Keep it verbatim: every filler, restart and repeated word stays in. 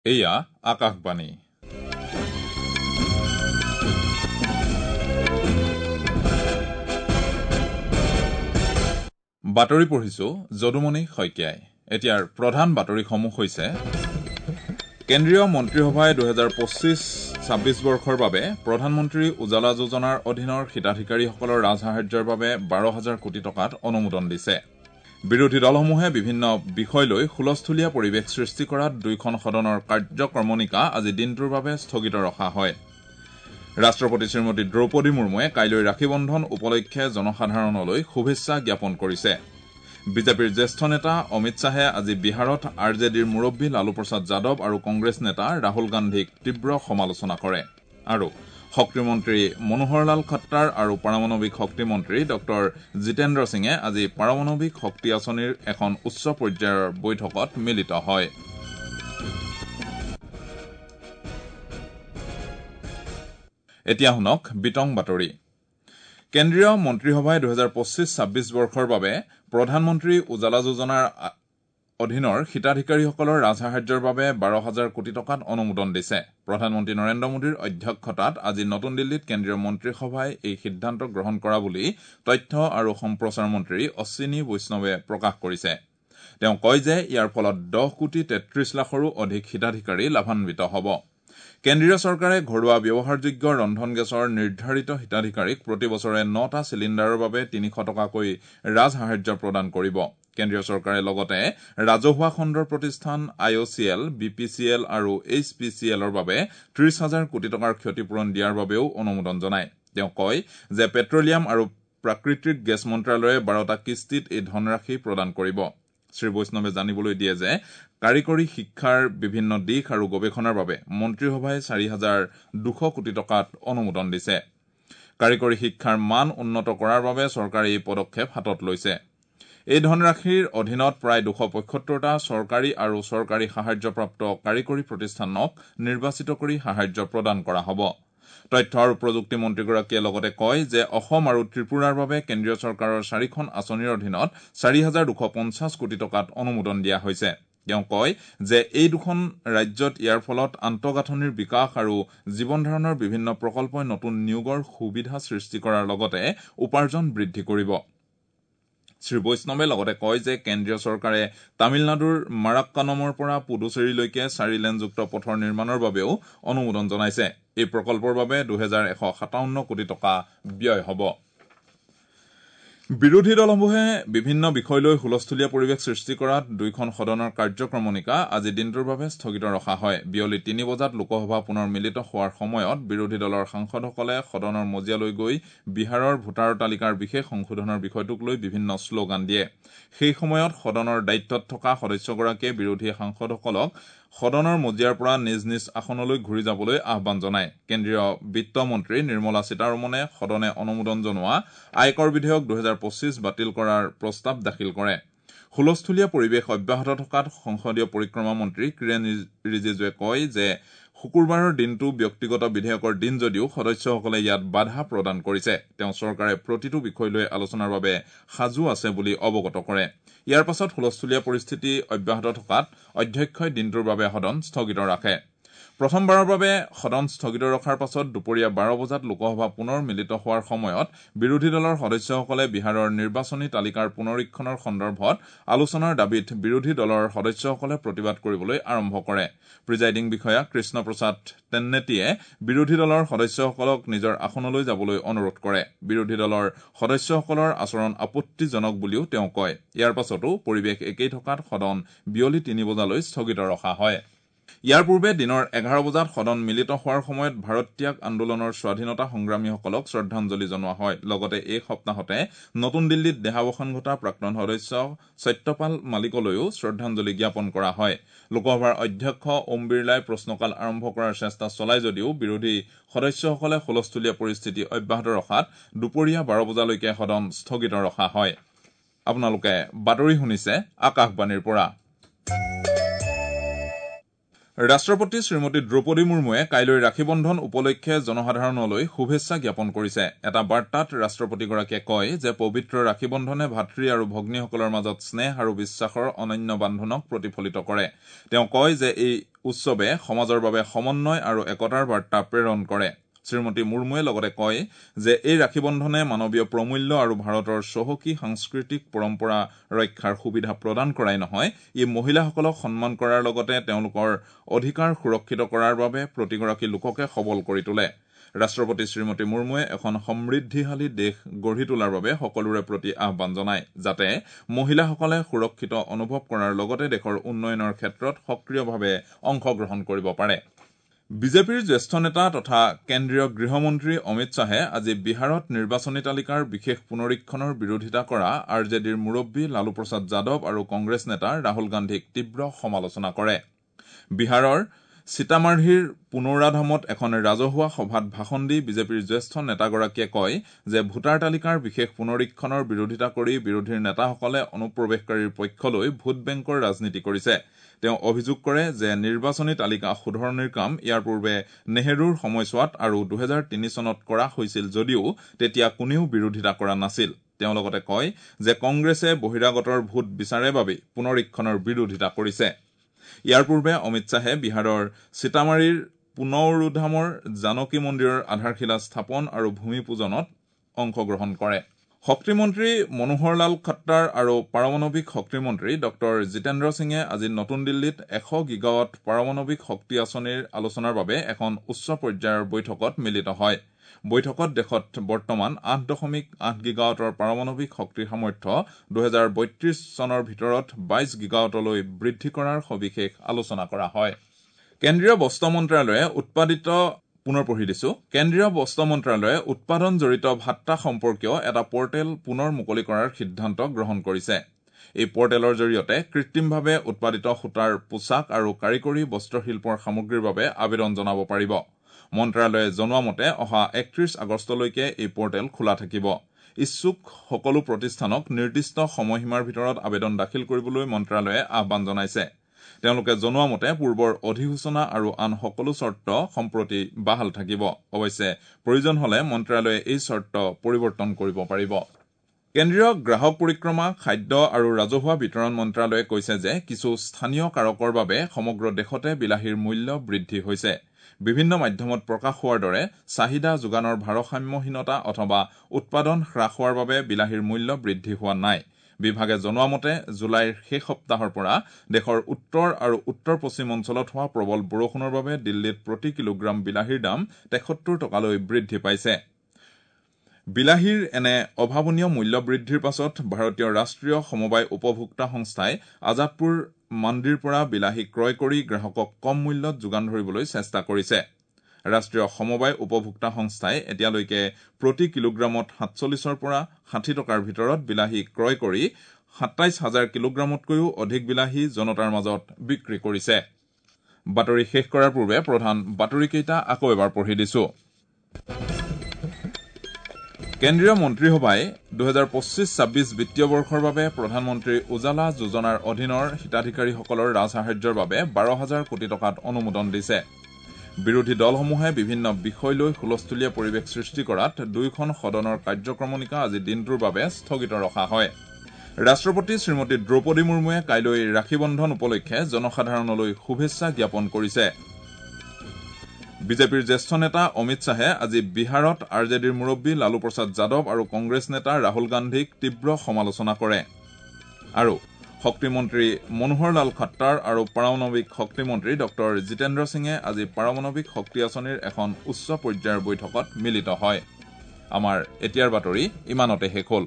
এয়া আকাশবাণী। বাতৰি পঢ়িছো যদুমণি শইকীয়াই। এতিয়াৰ প্ৰধান বাতৰিসমূহ হৈছে কেন্দ্ৰীয় মন্ত্ৰীসভাই দুহেজাৰ পঁচিছ ছাব্বিছ বৰ্ষৰ বাবে প্ৰধানমন্ত্ৰী উজালা যোজনাৰ অধীনৰ হিতাধিকাৰীসকলৰ ৰাজসাহায্যৰ বাবে বাৰ হাজাৰ কোটি টকাত অনুমোদন দিছে। বিৰোধী দলসমূহে বিভিন্ন বিষয় লৈ হুলস্থুলীয়া পৰিৱেশ সৃষ্টি কৰাত দুয়োখন সদনৰ কাৰ্যক্ৰমণিকা আজি দিনটোৰ বাবে স্থগিত ৰখা হয়। ৰাষ্ট্ৰপতি শ্ৰীমতী দ্ৰৌপদী মুৰ্মুৱে কাইলৈ ৰাখী বন্ধন উপলক্ষে জনসাধাৰণলৈ শুভেচ্ছা জ্ঞাপন কৰিছে। বিজেপিৰ জ্যেষ্ঠ নেতা অমিত শ্বাহে আজি বিহাৰত আৰ জে ডিৰ মুৰব্বী লালু প্ৰসাদ যাদৱ আৰু কংগ্ৰেছ নেতা ৰাহুল গান্ধীক তীব্ৰ সমালোচনা কৰে। আৰু শক্তিমন্ত্ৰী মনোহৰলাল খট্টাৰ আৰু পাৰমাণৱিক শক্তিমন্ত্ৰী ডঃ জিতেন্দ্ৰ সিঙে আজি পাৰমাণৱিক শক্তি আঁচনিৰ এখন উচ্চ পৰ্যায়ৰ বৈঠকত মিলিত হয়। এতিয়া শুনক বিতং বাতৰি। কেন্দ্ৰীয় মন্ত্ৰীসভাই দুহেজাৰ পঁচিছ ছাব্বিছ বৰ্ষৰ বাবে প্ৰধানমন্ত্ৰী উজালা যোজনাৰ অধীনৰ হিতাধিকাৰীসকলৰ ৰাজসাহায্যৰ বাবে বাৰ হাজাৰ কোটি টকাত অনুমোদন দিছে। প্ৰধানমন্ত্ৰী নৰেন্দ্ৰ মোদীৰ অধ্যক্ষতাত আজি নতুন দিল্লীত কেন্দ্ৰীয় মন্ত্ৰীসভাই এই সিদ্ধান্ত গ্ৰহণ কৰা বুলি তথ্য আৰু সম্প্ৰচাৰ মন্ত্ৰী অশ্বিনী বৈষ্ণৱে প্ৰকাশ কৰিছে। তেওঁ কয় যে ইয়াৰ ফলত দহ কোটি তেত্ৰিশ লাখৰো অধিক হিতাধিকাৰী লাভান্বিত হ'ব। কেন্দ্ৰীয় চৰকাৰে ঘৰুৱা ব্যৱহাৰযোগ্য ৰন্ধন গেছৰ নিৰ্ধাৰিত হিতাধিকাৰীক প্ৰতি বছৰে নটা চিলিণ্ডাৰৰ বাবে তিনিশ টকাকৈ ৰাজসাহায্য প্ৰদান কৰিব। কেন্দ্ৰীয় চৰকাৰে লগতে ৰাজহুৱা খণ্ডৰ প্ৰতিষ্ঠান I O C L, B P C L আৰু এইচ পি চি এলৰ বাবে ত্ৰিশ হাজাৰ কোটি টকাৰ ক্ষতিপূৰণ দিয়াৰ বাবেও অনুমোদন জনায়। তেওঁ কয় যে পেট্ৰলিয়াম আৰু প্ৰাকৃতিক গেছ মন্ত্ৰালয়ে বাৰটা কিস্তিত এই ধনৰাশি প্ৰদান কৰিব। শ্ৰী বৈষ্ণৱে জানিবলৈ দিয়ে যে কাৰিকৰী শিক্ষাৰ বিভিন্ন দিশ আৰু গৱেষণাৰ বাবে মন্ত্ৰীসভাই চাৰি হাজাৰ দুশ কোটি টকাত অনুমোদন দিছে। কাৰিকৰী শিক্ষাৰ মান উন্নত কৰাৰ বাবে চৰকাৰে এই পদক্ষেপ হাতত লৈছে। এই ধনৰাশিৰ অধীনত প্ৰায় দুশ পঁয়সত্তৰটা চৰকাৰী আৰু চৰকাৰী সাহায্যপ্ৰাপ্ত কাৰিকৰী প্ৰতিষ্ঠানক নিৰ্বাচিত কৰি সাহায্য প্ৰদান কৰা হ'ব। তথ্য আৰু প্ৰযুক্তি মন্ত্ৰীগৰাকীয়ে লগতে কয় যে অসম আৰু ত্ৰিপুৰাৰ বাবে কেন্দ্ৰীয় চৰকাৰৰ চাৰিখন আঁচনিৰ অধীনত চাৰি হাজাৰ দুশ পঞ্চাছ কোটি টকাত অনুমোদন দিয়া হৈছে। তেওঁ কয় যে এই দুখন ৰাজ্যত ইয়াৰ ফলত আন্তঃগাঁথনিৰ বিকাশ আৰু জীৱন ধাৰণৰ বিভিন্ন প্ৰকল্পই নতুন নিয়োগৰ সুবিধা সৃষ্টি কৰাৰ লগতে উপাৰ্জন বৃদ্ধি কৰিব। শ্ৰী বৈষ্ণৱে লগতে কয় যে কেন্দ্ৰীয় চৰকাৰে তামিলনাডুৰ মাৰাক্কানমৰ পৰা পুডুচেৰীলৈকে চাৰি লেনযুক্ত পথৰ নিৰ্মাণৰ বাবেও অনুমোদন জনাইছে। এই প্ৰকল্পৰ বাবে দুহেজাৰ এশ সাতাৱন্ন কোটি টকা ব্যয় হ'ব। বিৰোধী দলসমূহে বিভিন্ন বিষয় লৈ হুলস্থুলীয়া পৰিৱেশ সৃষ্টি কৰাত দুয়োখন সদনৰ কাৰ্যক্ৰমণিকা আজি দিনটোৰ বাবে স্থগিত ৰখা হয়। বিয়লি তিনি বজাত লোকসভা পুনৰ মিলিত হোৱাৰ সময়ত বিৰোধী দলৰ সাংসদসকলে সদনৰ মজিয়ালৈ গৈ বিহাৰৰ ভোটাৰ তালিকাৰ বিশেষ সংশোধনৰ বিষয়টোক লৈ বিভিন্ন শ্লোগান দিয়ে। সেই সময়ত সদনৰ দায়িত্বত থকা সদস্যগৰাকীয়ে বিৰোধী সাংসদসকলক সদনৰ মজিয়াৰ পৰা নিজ নিজ আসনলৈ ঘূৰি যাবলৈ আহ্বান জনায়। কেন্দ্ৰীয় বিত্তমন্ত্ৰী নিৰ্মলা সীতাৰমণে সদনে অনুমোদন জনোৱা আয়কৰ বিধেয়ক দুহেজাৰ পঁচিছ বাতিল কৰাৰ প্ৰস্তাৱ দাখিল কৰে। হুলস্থুলীয়া পৰিৱেশ অব্যাহত থকাত সংসদীয় পৰিক্ৰমা মন্ত্ৰী কিৰেণ ৰিজিজুৱে কয় যে শুকুৰবাৰৰ দিনটো ব্যক্তিগত বিধেয়কৰ দিন যদিও সদস্যসকলে ইয়াত বাধা প্ৰদান কৰিছে। তেওঁ চৰকাৰে প্ৰতিটো বিষয় লৈ আলোচনাৰ বাবে সাজু আছে বুলি অৱগত কৰে। ইয়াৰ পাছত হুলস্থুলীয়া পৰিস্থিতি অব্যাহত থকাত অধ্যক্ষই দিনটোৰ বাবে সদন স্থগিত ৰাখে। প্ৰথমবাৰৰ বাবে সদন স্থগিত ৰখাৰ পাছত দুপৰীয়া বাৰ বজাত লোকসভা পুনৰ মিলিত হোৱাৰ সময়ত বিৰোধী দলৰ সদস্যসকলে বিহাৰৰ নিৰ্বাচনী তালিকাৰ পুনৰীক্ষণৰ সন্দৰ্ভত আলোচনাৰ দাবীত বিৰোধী দলৰ সদস্যসকলে প্ৰতিবাদ কৰিবলৈ আৰম্ভ কৰে। প্ৰিজাইডিং বিষয়া কৃষ্ণ প্ৰসাদ তেন্নেটিয়ে বিৰোধী দলৰ সদস্যসকলক নিজৰ আসনলৈ যাবলৈ অনুৰোধ কৰে। বিৰোধী দলৰ সদস্যসকলৰ আচৰণ আপত্তিজনক বুলিও তেওঁ কয়। ইয়াৰ পাছতো পৰিৱেশ একেই থকাত সদন বিয়লি তিনি বজালৈ স্থগিত ৰখা হয়। ইয়াৰ পূৰ্বে দিনৰ এঘাৰ বজাত সদন মিলিত হোৱাৰ সময়ত ভাৰত ত্যাগ আন্দোলনৰ স্বাধীনতা সংগ্ৰামীসকলক শ্ৰদ্ধাঞ্জলি জনোৱা হয়। লগতে এই সপ্তাহতে নতুন দিল্লীত দেহাৱসান ঘটা প্ৰাক্তন সদস্য সত্যপাল মালিকলৈও শ্ৰদ্ধাঞ্জলি জ্ঞাপন কৰা হয়। লোকসভাৰ অধ্যক্ষ ওম বিৰলাই প্ৰশ্নকাল আৰম্ভ কৰাৰ চেষ্টা চলায় যদিও বিৰোধী সদস্যসকলে হুলস্থুলীয়া পৰিস্থিতি অব্যাহত ৰখাত দুপৰীয়া বাৰ বজালৈকে সদন স্থগিত ৰখা হয়। আপোনালোকে বাতৰি শুনিছে আকাশবাণীৰ পৰা। ৰাষ্ট্ৰপতি শ্ৰীমতী দ্ৰৌপদী মুৰ্মুৱে কাইলৈ ৰাখী বন্ধন উপলক্ষে জনসাধাৰণলৈ শুভেচ্ছা জ্ঞাপন কৰিছে। এটা বাৰ্তাত ৰাষ্ট্ৰপতিগৰাকীয়ে কয় যে পবিত্ৰ ৰাখী বন্ধনে ভাতৃ আৰু ভগ্নীসকলৰ মাজত স্নেহ আৰু বিশ্বাসৰ অনন্য বান্ধোনক প্ৰতিফলিত কৰে। তেওঁ কয় যে এই উৎসৱে সমাজৰ বাবে সমন্বয় আৰু একতাৰ বাৰ্তা প্ৰেৰণ কৰে। শ্ৰীমতী মুৰ্মুৱে লগতে কয় যে এই ৰাখী বন্ধনে মানৱীয় প্ৰমূল্য আৰু ভাৰতৰ চহকী সাংস্কৃতিক পৰম্পৰা ৰক্ষাৰ সুবিধা প্ৰদান কৰাই নহয়, ই মহিলাসকলক সন্মান কৰাৰ লগতে তেওঁলোকৰ অধিকাৰ সুৰক্ষিত কৰাৰ বাবে প্ৰতিগৰাকী লোককে সবল কৰি তোলে। ৰাষ্ট্ৰপতি শ্ৰীমতী মুৰ্মুৱে এখন সমৃদ্ধিশালী দেশ গঢ়ি তোলাৰ বাবে সকলোৰে প্ৰতি আহ্বান জনায় যাতে মহিলাসকলে সুৰক্ষিত অনুভৱ কৰাৰ লগতে দেশৰ উন্নয়নৰ ক্ষেত্ৰত সক্ৰিয়ভাৱে অংশগ্ৰহণ কৰিব পাৰে। বিজেপিৰ জ্যেষ্ঠ নেতা তথা কেন্দ্ৰীয় গৃহমন্ত্ৰী অমিত শ্বাহে আজি বিহাৰত নিৰ্বাচনী তালিকাৰ বিশেষ পুনৰীক্ষণৰ বিৰোধিতা কৰা আৰ জে ডিৰ মুৰব্বী লালু প্ৰসাদ যাদৱ আৰু কংগ্ৰেছ নেতা ৰাহুল গান্ধীক তীব্ৰ সমালোচনা কৰে। বিহাৰৰ সীতামাৰ্হিৰ পুনৌৰাধামত এখন ৰাজহুৱা সভাত ভাষণ দি বিজেপিৰ জ্যেষ্ঠ নেতাগৰাকীয়ে কয় যে ভোটাৰ তালিকাৰ বিশেষ পুনৰীক্ষণৰ বিৰোধিতা কৰি বিৰোধীৰ নেতাসকলে অনুপ্ৰৱেশকাৰীৰ পক্ষ লৈ ভোট বেংকৰ ৰাজনীতি কৰিছে। তেওঁ অভিযোগ কৰে যে নিৰ্বাচনী তালিকা শুধৰণিৰ কাম ইয়াৰ পূৰ্বে নেহেৰুৰ সময়ছোৱাত আৰু দুহেজাৰ তিনি চনত কৰা হৈছিল যদিও তেতিয়া কোনেও বিৰোধিতা কৰা নাছিল। তেওঁ লগতে কয় যে কংগ্ৰেছে বহিৰাগতৰ ভোট বিচাৰে বাবেই পুনৰীক্ষণৰ বিৰোধিতা কৰিছে। ইয়াৰ পূৰ্বে অমিত শ্বাহে বিহাৰৰ সীতামাৰীৰ পুনৌৰুধামৰ জানকী মন্দিৰৰ আধাৰশিলা স্থাপন আৰু ভূমি পূজনত অংশগ্ৰহণ কৰে। শক্তিমন্ত্ৰী মনোহৰলাল খট্টাৰ আৰু পাৰমাণৱিক শক্তিমন্ত্ৰী ডঃ জিতেন্দ্ৰ সিঙে আজি নতুন দিল্লীত এশ গিগাৱাট পাৰমাণৱিক শক্তি আঁচনিৰ আলোচনাৰ বাবে এখন উচ্চ পৰ্যায়ৰ বৈঠকত মিলিত হয়। বৈঠকত দেশত বৰ্তমান আঠ দশমিক আঠ গিগাৱাটৰ পাৰমাণৱিক শক্তিৰ সামৰ্থ্য দুহেজাৰ বত্ৰিশ চনৰ ভিতৰত বাইশ গিগাৱাটলৈ বৃদ্ধি কৰাৰ সবিশেষ আলোচনা কৰা হয়। কেন্দ্ৰীয় বস্ত্ৰ মন্ত্ৰালয়ে উৎপাদিত পুনৰ পঢ়ি দিছো কেন্দ্ৰীয় বস্ত্ৰ মন্ত্ৰালয়ে উৎপাদন জড়িত ভাট্টা সম্পৰ্কীয় এটা পৰ্টেল পুনৰ মুকলি কৰাৰ সিদ্ধান্ত গ্ৰহণ কৰিছে। এই পৰ্টেলৰ জৰিয়তে কৃত্ৰিমভাৱে উৎপাদিত সূতাৰ পোছাক আৰু কাৰিকৰী বস্ত্ৰশিল্পৰ সামগ্ৰীৰ বাবে আবেদন জনাব পাৰিব। মন্ত্ৰালয়ে জনোৱা মতে অহা একত্ৰিশ আগষ্টলৈকে এই পৰ্টেল খোলা থাকিব। ইচ্ছুক সকলো প্ৰতিষ্ঠানক নিৰ্দিষ্ট সময়সীমাৰ ভিতৰত আবেদন দাখিল কৰিবলৈ মন্ত্ৰালয়ে আহ্বান জনাইছে। তেওঁলোকে জনোৱা মতে পূৰ্বৰ অধিসূচনা আৰু আন সকলো চৰ্ত সম্প্ৰতি বাহাল থাকিব। অৱশ্যে প্ৰয়োজন হলে মন্ত্ৰালয়ে এই চৰ্ত পৰিৱৰ্তন কৰিব পাৰিব। কেন্দ্ৰীয় গ্ৰাহক পৰিক্ৰমা, খাদ্য আৰু ৰাজহুৱা বিতৰণ মন্ত্ৰালয়ে কৈছে যে কিছু স্থানীয় কাৰকৰ বাবে সমগ্ৰ দেশতে বিলাহীৰ মূল্য বৃদ্ধি হৈছে। বিভিন্ন মাধ্যমত প্ৰকাশ হোৱাৰ দৰে চাহিদা যোগানৰ ভাৰসাম্যহীনতা অথবা উৎপাদন হ্ৰাস হোৱাৰ বাবে বিলাহীৰ মূল্য বৃদ্ধি হোৱা নাই। বিভাগে জনোৱা মতে জুলাইৰ শেষ সপ্তাহৰ পৰা দেশৰ উত্তৰ আৰু উত্তৰ পশ্চিম অঞ্চলত হোৱা প্ৰবল বৰষুণৰ বাবে দিল্লীত প্ৰতি কিলোগ্ৰাম বিলাহীৰ দাম তেসত্তৰ টকালৈ বৃদ্ধি পাইছে। বিলাহীৰ এনে অভাৱনীয় মূল্য বৃদ্ধিৰ পাছত ভাৰতীয় ৰাষ্ট্ৰীয় সমবায় উপভোক্তা সংস্থাই আজাদপুৰ মাণ্ডিৰ পৰা বিলাহী ক্ৰয় কৰি গ্ৰাহকক কম মূল্যত যোগান ধৰিবলৈ চেষ্টা কৰিছে। ৰাষ্ট্ৰীয় সমবায় উপভোক্তা সংস্থাই এতিয়ালৈকে প্ৰতি কিলোগ্ৰামত সাতচল্লিছৰ পৰা ষাঠি টকাৰ ভিতৰত বিলাহী ক্ৰয় কৰি সাতাইছ হাজাৰ কিলোগ্ৰামতকৈও অধিক বিলাহী জনতাৰ মাজত বিক্ৰী কৰিছে। বাতৰি শেষ কৰাৰ পূৰ্বে প্ৰধান বাতৰিকেইটা আকৌ এবাৰ পঢ়ি দিছো। কেন্দ্ৰীয় মন্ত্ৰীসভাই দুহেজাৰ পঁচিছ ছাব্বিছ বিত্তীয় বৰ্ষৰ বাবে প্ৰধানমন্ত্ৰী উজালা যোজনাৰ অধীনৰ হিতাধিকাৰীসকলৰ ৰাজসাহায্যৰ বাবে বাৰ হাজাৰ কোটি টকাত অনুমোদন দিছে। বিৰোধী দলসমূহে বিভিন্ন বিষয় লৈ হুলস্থুলীয়া পৰিৱেশ সৃষ্টি কৰাত দুয়োখন সদনৰ কাৰ্যক্ৰমণিকা আজি দিনটোৰ বাবে স্থগিত ৰখা হয়। ৰাষ্ট্ৰপতি শ্ৰীমতী দ্ৰৌপদী মুৰ্মুৱে কাইলৈ ৰাখী বন্ধন উপলক্ষে জনসাধাৰণলৈ শুভেচ্ছা জ্ঞাপন কৰিছে। বিজেপিৰ জ্যেষ্ঠ নেতা অমিত শ্বাহে আজি বিহাৰত আৰ জে ডিৰ মুৰব্বী লালু প্ৰসাদ যাদৱ আৰু কংগ্ৰেছ নেতা ৰাহুল গান্ধীক তীব্ৰ সমালোচনা কৰে। আৰু শক্তিমন্ত্ৰী মনোহৰলাল খট্টাৰ আৰু পাৰমাণৱিক শক্তিমন্ত্ৰী ডঃ জিতেন্দ্ৰ সিঙে আজি পাৰমাণৱিক শক্তি আঁচনিৰ এখন উচ্চ পৰ্যায়ৰ বৈঠকত মিলিত হয়। আমাৰ এতিয়াৰ বাতৰি ইমানতে শেষ হ'ল।